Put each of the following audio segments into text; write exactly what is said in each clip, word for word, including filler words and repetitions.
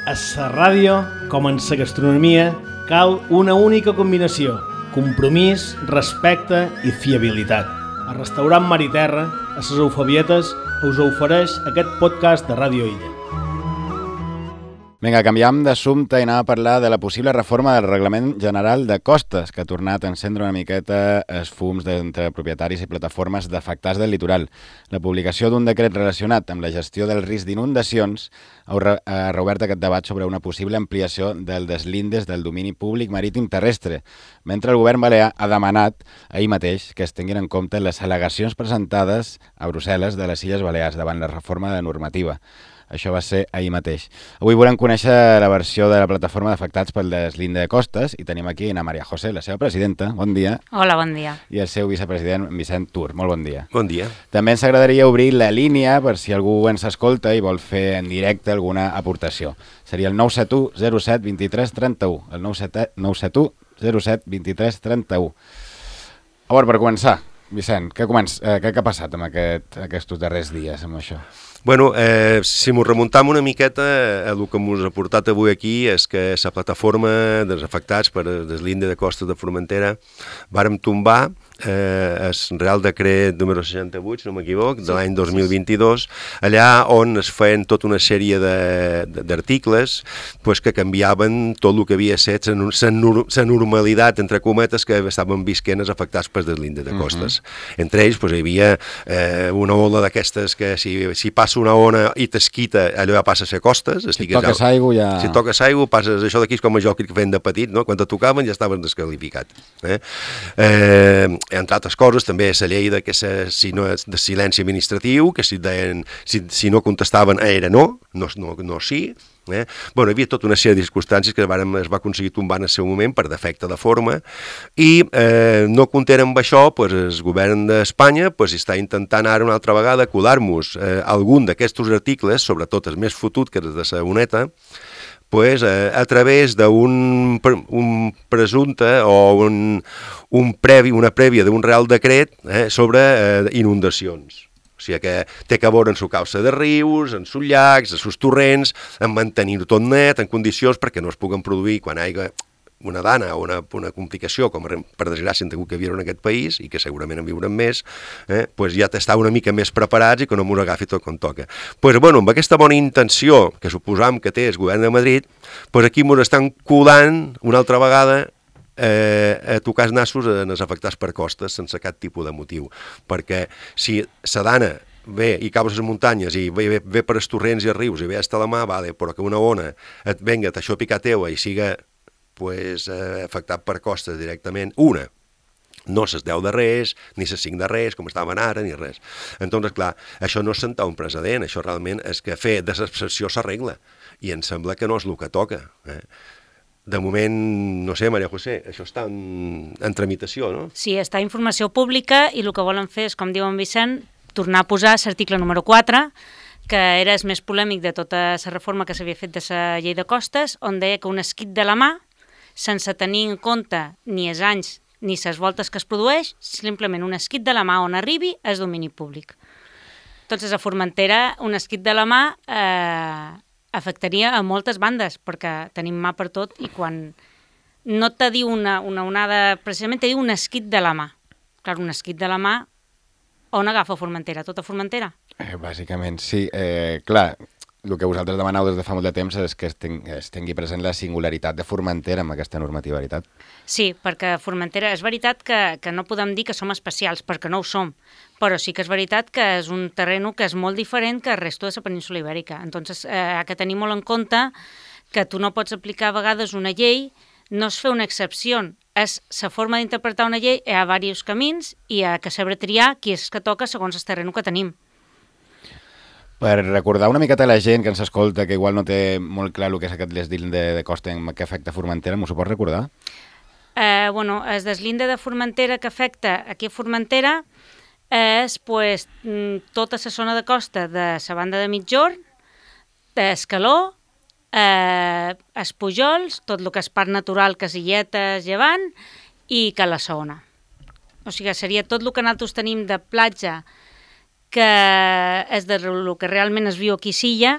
A la ràdio, com en la gastronomia, cal una única combinació: compromís, respecte i fiabilitat. El restaurant Mar i Terra, a les Eufebietes, us ofereix aquest podcast de Ràdio Illa. Vinga, canviam d'assumpte i anem a parlar de la possible reforma del Reglament General de Costes, que ha tornat a encendre una miqueta els fums entre propietaris i plataformes d'afectats del litoral. La publicació d'un decret relacionat amb la gestió del risc d'inundacions ha reobert aquest debat sobre una possible ampliació del deslindes del domini públic marítim terrestre, mentre el govern balear ha demanat ahir mateix que es tinguin en compte les al·legacions presentades a Brussel·les de les Illes Balears davant la reforma de normativa. Això va ser ahir mateix. Avui volem conèixer la versió de la plataforma d'afectats pel deslinde de costes i tenim aquí a Maria José, la seva presidenta. Bon dia. Hola, bon dia. I el seu vicepresident, Vicent Tur. Molt bon dia. Bon dia. També ens agradaria obrir la línia per si algú ens escolta i vol fer en directe alguna aportació. Seria el nou set u zero set vint tres trenta u. El nou set u zero set vint tres trenta u. A veure, per començar, Vicent, què, començ, eh, què ha passat amb aquest, aquests darrers dies amb això? Bueno, eh, si m'ho remuntam una miqueta, el que m'us ha portat avui aquí és que la plataforma dels afectats per el deslinde de costes de Formentera vàrem tombar eh, el Real Decret número seixanta-vuit, si no m'equivoc, de l'any dos mil vint-i-dos, allà on es feien tota una sèrie d'articles pues, que canviaven tot el que havia estat la normalitat, entre cometes, que estaven visquent els afectats per deslinde de costes. Uh-huh. Entre ells pues, hi havia eh, una ola d'aquestes que si, si passa una ona i t'esquita, allò ja passa a ser costes. Si toques ja, aigua ja... Si toques aigua, passes això d'aquí, com a jo que feien de petit, no? Quan te tocaven ja estaven descalificat. Eh? Eh, entre altres coses, també la llei de, que se, si no és de silenci administratiu, que si, deien, si, si no contestaven era no, no, no, no sí. Eh? Bueno, hi havia tota una sèrie de circumstàncies que vàrem, es va aconseguir tombar en el seu moment per defecte de forma i eh, no content amb això, pues, el govern d'Espanya pues, està intentant ara una altra vegada colar-nos eh, algun d'aquests articles, sobretot els més fotut que els de la UNETA, pues, eh, a través d'un un presumpte o un, un previ, una prèvia d'un real decret eh, sobre eh, inundacions. O sigui que té que veure en su causa de rius, en sus llacs, en sus torrents, en mantenir-ho tot net, en condicions perquè no es puguen produir quan hi ha una dana o una, una complicació, com per desgràcia han tingut que viure en aquest país, i que segurament en viurem més, eh, pues ja t'està una mica més preparats i que no m'ho agafi tot com toca. Pues, bueno, amb aquesta bona intenció que suposam que té el govern de Madrid, pues aquí ens estan colant una altra vegada Eh, a tocar els nassos en els afectats per costes sense cap tipus de motiu, perquè si la dana ve i cau a les muntanyes i ve, ve, ve per els torrents i els rius i ve hasta la mà, vale, però que una ona et venga, t'aixopi a teua i siga pues, eh, afectat per costes directament, una, no ses deu de res, ni ses cinc de res, com estaven ara, ni res. Entonces, clar, això no és sentar un precedent, això realment és que fer desabsorció s'arregla, i em sembla que no és el que toca, eh? De moment, no sé, Maria José, això està en, en tramitació, no? Sí, està a informació pública i el que volen fer és, com diu en Vicent, tornar a posar l'article número quatre, que era el més polèmic de tota la reforma que s'havia fet de la llei de costes, on deia que un esquit de la mà, sense tenir en compte ni els anys ni les voltes que es produeix, simplement un esquit de la mà on arribi és domini públic. Entonces, a Formentera, un esquit de la mà... Eh, afectaria a moltes bandes, perquè tenim mà per tot i quan no te diu una, una onada, precisament te diu un esquit de la mà. Clar, un esquit de la mà, on agafa Formentera? Tota Formentera? Eh, bàsicament, sí. Eh, clar, el que vosaltres demaneu des de fa molt de temps és que es, ten, es tingui present la singularitat de Formentera amb aquesta normativa, veritat? Sí, perquè Formentera és veritat que, que no podem dir que som especials, perquè no ho som, però sí que és veritat que és un terreno que és molt diferent que el resto de la península ibèrica. Entonces, eh, ha que tenir molt en compte que tu no pots aplicar a vegades una llei, no és fer una excepció, és la forma d'interpretar una llei, hi ha diversos camins i hi ha que saber triar qui és que toca segons el terreno que tenim. Per recordar una miqueta a la gent que ens escolta, que igual no té molt clar el que és aquest deslinde de, de costa que afecta Formentera, m'ho pots recordar? Eh, bueno, el deslinde de Formentera que afecta aquí a Formentera és pues, tota la zona de costa de la banda de Migjorn, d'Escaló, eh, Espujols, tot el que és parc natural, Casilletes, Llevant i Cala-Saona. O sigui, seria tot el que nosaltres tenim de platja que és de el que realment es viu aquí a Silla,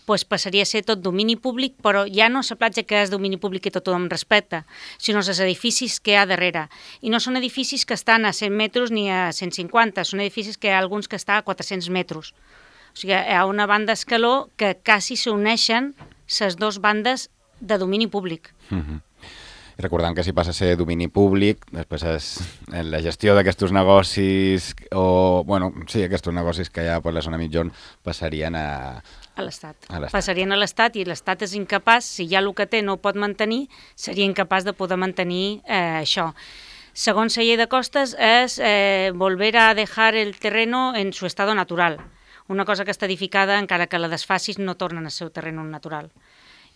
pues passaria a ser tot domini públic, però ja no la platja que és domini públic i tot tothom respecta, sinó els edificis que hi ha darrere. I no són edificis que estan a cent metres ni a cent cinquanta, són edificis que hi ha alguns que estan a quatre-cents metres. O sigui, hi ha una banda d'escaló que quasi s'uneixen les dues bandes de domini públic. Mm-hmm. I recordant que si passa a ser domini públic, després és la gestió d'aquests negocis, o, bueno, sí, aquests negocis que hi ha per la zona mitjorn passarien a... A l'Estat. A l'Estat. Passarien a l'Estat i l'Estat és incapaç, si ja el que té no ho pot mantenir, seria incapaç de poder mantenir eh, això. Segons la llei de costes, és eh, volver a dejar el terreno en su estado natural. Una cosa que està edificada, encara que la desfacis, no torna al seu terreno natural.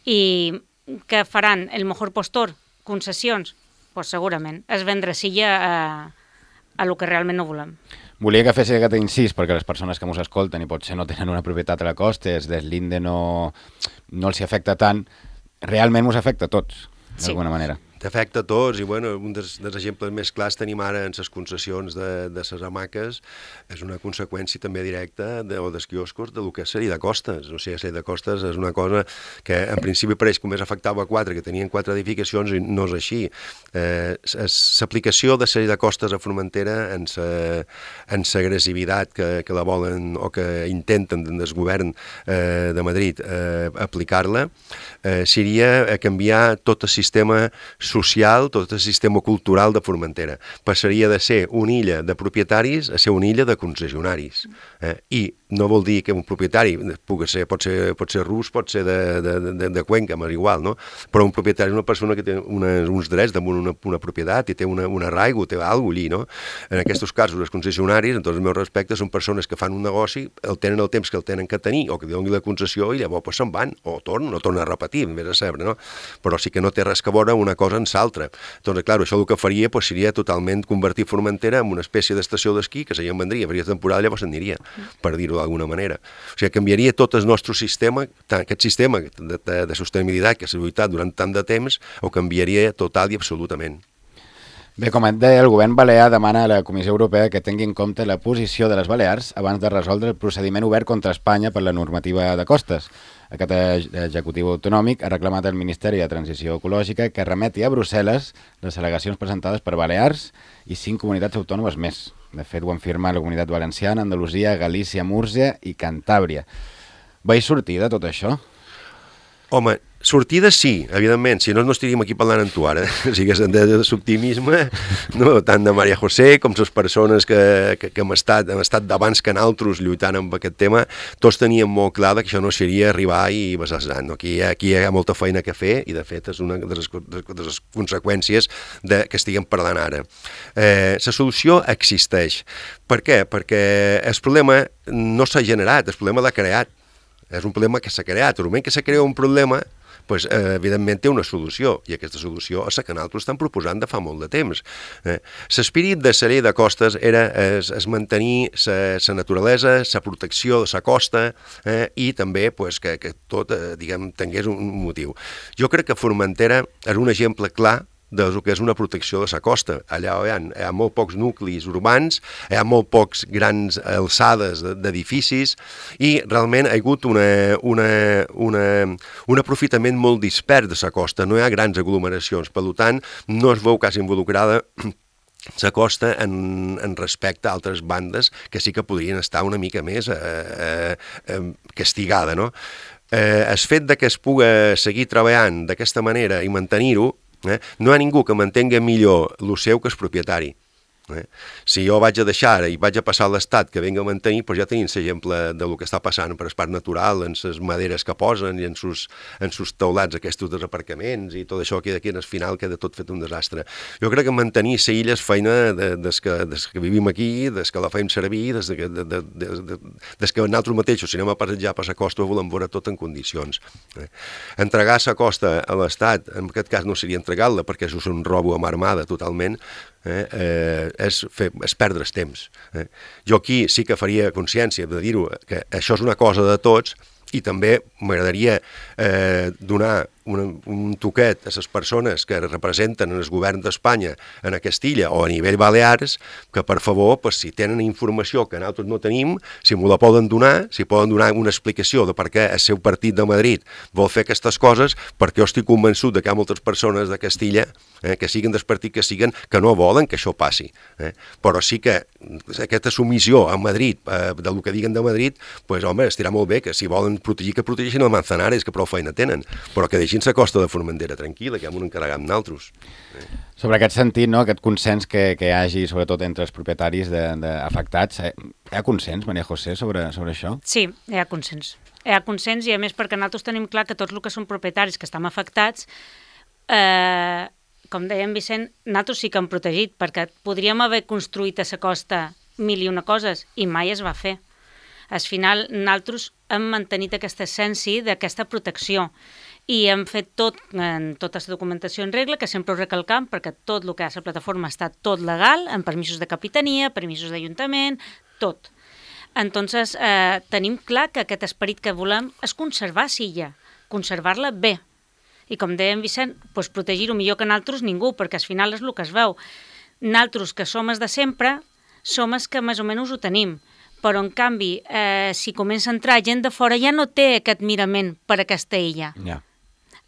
I què faran? El mejor postor? Concessions? Pues segurament. És vendre silla a, a lo que realment no volem. Volia que fessi aquest incís perquè les persones que mos escolten i potser no tenen una propietat a la costa, es des l'Inde no, no els afecta tant, realment mos afecta a tots, d'alguna sí. manera. T'afecta a tots i bueno, un dels, dels exemples més clars tenim ara en les concessions de, de les hamaques, és una conseqüència també directa de, o dels quioscos de lo que és sèrie de costes. O sigui, sèrie de costes és una cosa que en principi pareix que només afectava quatre, que tenien quatre edificacions i no és així. Eh, l'aplicació de sèrie de costes a Formentera en l'agressivitat que, que la volen o que intenten des del govern eh, de Madrid eh, aplicar-la eh, seria canviar tot el sistema social, tot el sistema cultural de Formentera. Passaria de ser una illa de propietaris a ser una illa de concessionaris. Eh? I no vol dir que un propietari pugui ser, pot ser, pot ser rus, pot ser de, de, de, de Cuenca, és igual, no? Però un propietari és una persona que té una, uns drets damunt una, una propietat i té una, una arraigo, té alguna cosa allí, no? En aquests casos, els concessionaris, en tots els meus respectes, són persones que fan un negoci, el tenen el temps que el tenen que tenir, o que donin la concessió i llavors pues, se'n van, o tornen, o tornen a repetir, més a saber, no? Però sí que no té res que veure una cosa en l'altra. Doncs, clar, això el que faria pues, seria totalment convertir Formentera en una espècie d'estació d'esquí que se'n vendria, faria temporada, llavors se'n aniria, per dir-ho d'alguna manera. O sigui, canviaria tot el nostre sistema, aquest sistema de, de, de sostenibilitat que s'ha lluitat durant tant de temps, ho canviaria total i absolutament. Bé, com et deia, el govern balear demana a la Comissió Europea que tingui en compte la posició de les Balears abans de resoldre el procediment obert contra Espanya per la normativa de costes. Aquest executiu autonòmic ha reclamat al Ministeri de Transició Ecològica que remeti a Brussel·les les al·legacions presentades per Balears i cinc comunitats autònomes més. De fet, ho han firmat la Comunitat Valenciana, Andalusia, Galícia, Múrcia i Cantàbria. Vaig sortir de tot això? Home, sortida sí, evidentment, si no no estaríem aquí parlant amb tu ara, o sigui, és de l'optimisme, no? Tant de Maria José com les persones que, que, que hem estat, hem estat d'abans que nosaltres lluitant amb aquest tema, tots teníem molt clar que això no seria arribar i basar-se, no? Aquí, aquí hi ha molta feina que fer i de fet és una de les, de les conseqüències de, que estiguem parlant ara. Eh, la solució existeix. Per què? Perquè el problema no s'ha generat, el problema l'ha creat. És un problema que s'ha creat. El moment que s'ha creat un problema, pues, eh, evidentment té una solució, i aquesta solució és la que nosaltres estem proposant de fa molt de temps. Eh? L'espírit de la llei de costes era es, es mantenir la naturalesa, la protecció de la costa eh? i també pues, que, que tot eh, diguem, tingués un motiu. Jo crec que Formentera és un exemple clar del que és una protecció de la costa. Allà hi ha, hi ha molt pocs nuclis urbans, hi ha molt pocs grans alçades d'edificis i realment hi ha hagut una, una, una, un aprofitament molt dispers de la costa, no hi ha grans aglomeracions, per tant no es veu quasi involucrada la costa en, en respecte a altres bandes que sí que podrien estar una mica més eh, eh, castigada, no? Eh, el fet de que es pugui seguir treballant d'aquesta manera i mantenir-ho, Eh? no hi ha ningú que mantenga millor el seu que el propietari. Eh? Si jo vaig a deixar i vaig a passar a l'Estat que venga a mantenir, doncs ja tenim l'exemple del que està passant per el parc natural, en les maderes que posen i en sus, en sus taulats aquests dels aparcaments i tot això que aquí en el final queda tot fet un desastre. Jo crec que mantenir la illa és feina de, des, que, des que vivim aquí, des que la fem servir, des, de, de, de, de, de, des que nosaltres mateixos, si anem a passejar per la costa, ho volem veure tot en condicions. Eh? Entregar la costa a l'Estat, en aquest cas no seria entregar-la perquè això és un robo amb armada totalment, Eh, eh, és, fer, és perdre el temps. Eh. Jo aquí sí que faria consciència de dir-ho, que això és una cosa de tots i també m'agradaria eh, donar un, un toquet a les persones que representen el govern d'Espanya en a Castilla o a nivell Balears, que per favor, pues, si tenen informació que nosaltres no tenim, si m'ho la poden donar, si poden donar una explicació de per què el seu partit de Madrid vol fer aquestes coses, perquè jo estic convençut de que hi ha moltes persones de Castilla, eh, que siguin del partit que siguen, que no volen que això passi. Eh? Però sí que aquesta submissió a Madrid, eh, del que diguen de Madrid, pues, home, estirà molt bé, que si volen protegir, que protegeixin el Manzanares, que prou feina tenen, però que deixin la costa de Formentera tranquil·la, que hem un encarregat amb naltros. Eh? Sobre aquest sentit, no, aquest consens que, que hi hagi, sobretot entre els propietaris de, de afectats, eh, hi ha consens, Maria José, sobre, sobre això? Sí, hi ha consens. Hi ha consens i, a més, perquè nosaltres tenim clar que tots els que són propietaris que estan afectats, eh, com deia en Vicent, nosaltres sí que hem protegit, perquè podríem haver construït a la costa mil i una coses i mai es va fer. Al final, nosaltres hem mantenit aquesta essència d'aquesta protecció i hem fet tot, en tota la documentació en regla, que sempre ho recalcam, perquè tot el que ha a la plataforma està tot legal, amb permisos de capitania, permisos d'Ajuntament, tot. Entonces, eh, tenim clar que aquest esperit que volem és conservar Silla, conservar-la bé. I com deia en Vicent, doncs protegir-ho millor que nosaltres ningú, perquè al final és el que es veu. Nosaltres, que som els de sempre, som els que més o menys ho tenim. Però, en canvi, eh, si comença a entrar gent de fora, ja no té aquest mirament per aquesta illa. Ja.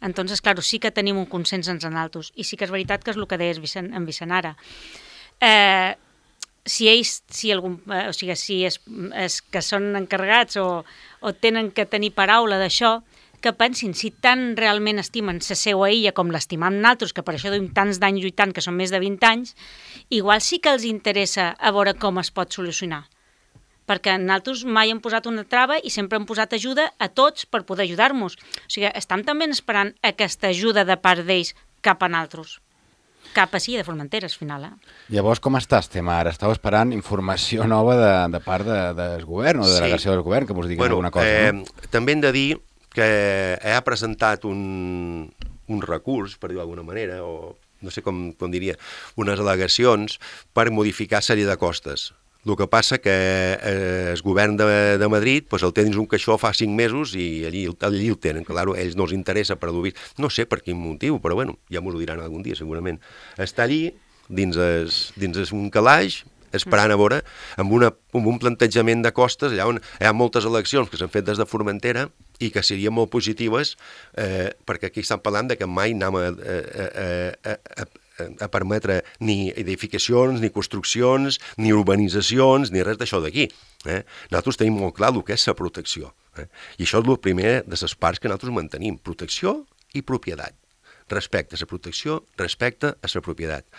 Entonces, claro, sí que tenim un consens entre nosaltres. I sí que és veritat que és el que deies Vicent, en Vicent ara. Eh, si ells, si algun, eh, o sigui, si és, és que són encarregats o, o tenen que tenir paraula d'això, que pensin si tan realment estimen la seva illa com l'estimam nosaltres, que per això duim tants d'anys lluitant, que són més de vint anys, igual sí que els interessa a veure com es pot solucionar. Perquè nosaltres mai hem posat una trava i sempre hem posat ajuda a tots per poder ajudar-nos. O sigui, estem també esperant aquesta ajuda de part d'ells cap a nosaltres. Cap a sí, de Formentera, al final. Eh? Llavors, com està el tema ara? Estàu esperant informació nova de, de part de, del govern o de delegació sí. del govern, que vos diguin bueno, alguna cosa, eh, no? També hem de dir que ha presentat un, un recurs, per dir-ho d'alguna manera, o no sé com, com diria, unes al·legacions per modificar sèrie de costes. El que passa que eh, el govern de, de Madrid pues, el té dins un caixó fa cinc mesos i allí, allí el tenen. Claro, a ells no els interessa per dur vist. No sé per quin motiu, però bueno, ja m'ho diran algun dia segurament. Està allí, dins, es, dins es un calaix, esperant a veure, amb, una, amb un plantejament de costes, allà on hi ha moltes eleccions que s'han fet des de Formentera i que serien molt positives, eh, perquè aquí estan parlant de que mai anem a, a, a, a, a permetre ni edificacions, ni construccions, ni urbanitzacions, ni res d'això d'aquí. Eh? Nosaltres tenim molt clar el que és la protecció. Eh? I això és el primer de les parts que nosaltres mantenim, protecció i propietat. Respecte a la protecció, respecte a la propietat.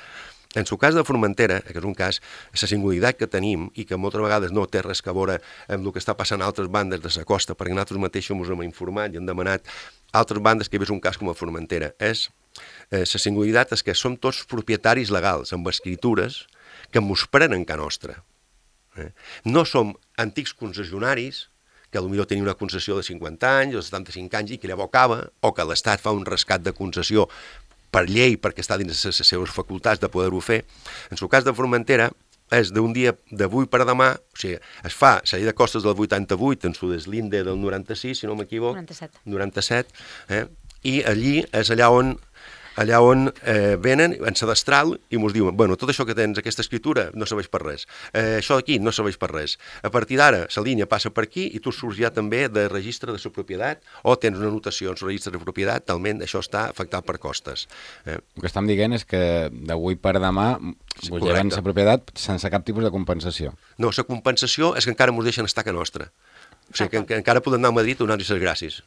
En el cas de Formentera, que és un cas, la singularitat que tenim i que moltes vegades no té res a veure amb el que està passant a altres bandes de la costa, perquè nosaltres mateixos ens hem informat i hem demanat altres bandes que hi hagués un cas com a Formentera, és eh, la singularitat és que som tots propietaris legals, amb escritures, que mos prenen ca nostra. Eh? No som antics concessionaris, que potser tenien una concessió de cinquanta anys o de setanta-cinc anys i que llavors acaba, o que l'Estat fa un rescat de concessió per llei, perquè està dins les seves facultats de poder-ho fer. En el cas de Formentera, és d'un dia d'avui per a demà, o sigui, es fa la llei de costes del vuitanta-vuit, en su deslinde del noranta-sis, si no m'equivoco, noranta-set, noranta-set eh? I allí és allà on allà on eh, venen en sedestral i ens diuen, bueno, tot això que tens, aquesta escritura, no serveix per res. Eh, això d'aquí no serveix per res. A partir d'ara, la línia passa per aquí i tu surts ja també de registre de la propietat o tens una anotació en el registre de propietat, talment això està afectat per costes. Eh? El que estem dient és que d'avui per demà Sí, us lleven la propietat sense cap tipus de compensació. No, la compensació és que encara ens deixen estar a nostra. O sigui, que, que encara podem anar a Madrid a donar-nos les gràcies.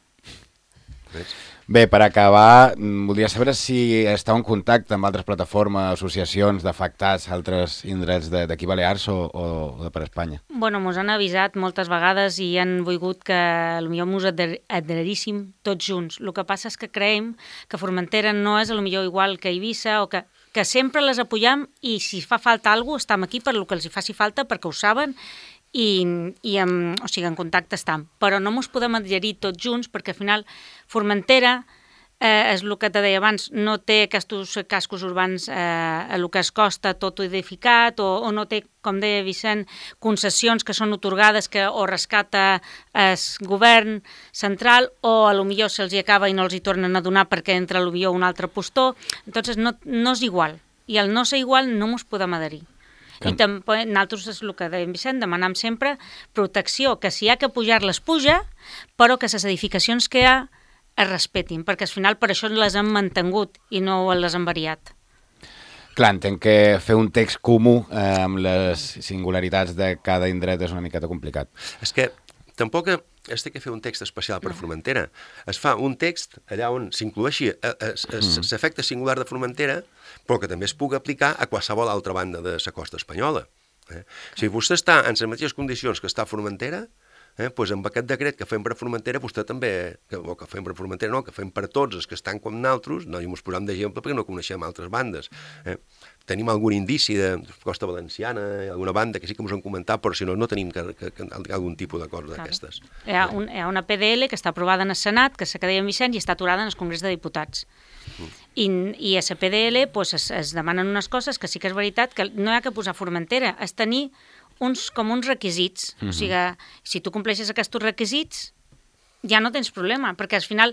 Ves? Bé, per acabar, voldria saber si estàu en contacte amb altres plataformes, associacions d'afectats a altres indrets d'aquí Balears o, o de per Espanya. Bueno, mos han avisat moltes vegades i han volgut que potser mos adheríssim tots junts. El que passa és que creiem que Formentera no és potser igual que Eivissa o que, que sempre les apoyam i si fa falta alguna cosa estem aquí per el que els hi faci falta perquè ho saben i, i en, o sigui, en contacte estem. Però no ens podem adherir tots junts perquè al final Formentera eh, és el que te deia abans, no té aquests cascos urbans eh, a el que es costa tot edificat, o, o no té, com deia Vicent, concessions que són otorgades que o rescata el govern central, o a lo millor se'ls hi acaba i no els hi tornen a donar perquè entra a lo millor un altre postor. Entonces no, no és igual. I al no ser igual no mos podem adherir. Que... I també nosaltres, és el que deia Vicent, demanam sempre protecció, que si hi ha que pujar-les, puja, però que les edificacions que hi ha es respetin, perquè al final per això les hem mantingut i no les hem variat. Clar, entenc que fer un text comú eh, amb les singularitats de cada indret és una miqueta complicat. És que tampoc es té que fer un text especial per Formentera. Es fa un text allà on s'incloeixi l'efecte singular de Formentera, però que també es pugui aplicar a qualsevol altra banda de la costa espanyola. Eh? Si vostè està en les mateixes condicions que està a Formentera, Eh, pues amb aquest decret que fem per Formentera, vostè també, que, o que fem per Formentera, no, que fem per tots els que estan com nosaltres, no hi ens posem d'exemple perquè no coneixem altres bandes. Eh. Tenim algun indici de Costa Valenciana, alguna banda que sí que ens han comentat, però si no, no tenim que, que, que, algun tipus d'acord d'aquestes. Hi ha, un, hi ha una P D L que està aprovada en el Senat, que se deia Vicent, i està aturada en el Congrés de Diputats. Mm. I, i a la P D L pues, es, es demanen unes coses que sí que és veritat, que no hi ha que posar Formentera, és tenir uns, com uns requisits. Mm-hmm. O sigui, si tu compleixes aquests requisits, ja no tens problema, perquè al final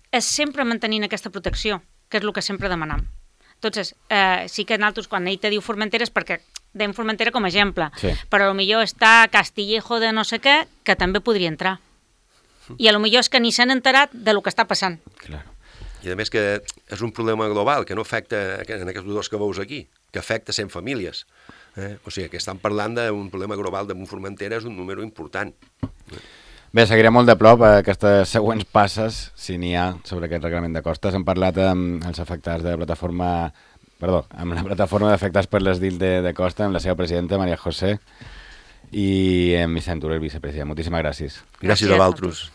és sempre mantenint aquesta protecció, que és el que sempre demanam. Entonces, eh, sí que nosaltres, quan ell te diu Formentera, és perquè deim Formentera com a exemple, sí. Però a lo millor està Castillejo de no sé què, que també podria entrar. I a lo millor és que ni s'han enterat de lo que està passant. Claro. I a més que és un problema global, que no afecta en aquests dos que veus aquí, que afecta cent famílies. Eh? O sigui, que estan parlant d'un problema global de Formentera, és un número important. Bé, seguirem molt de prop aquestes següents passes, si n'hi ha, sobre aquest reglament de costes. Hem parlat amb els afectats de la plataforma, perdó, amb la plataforma d'afectats per les D I L de, de Costa, amb la seva presidenta, Maria José, i amb Vicent Tura, el vicepresident. Moltíssimes gràcies. Gràcies a vosaltres.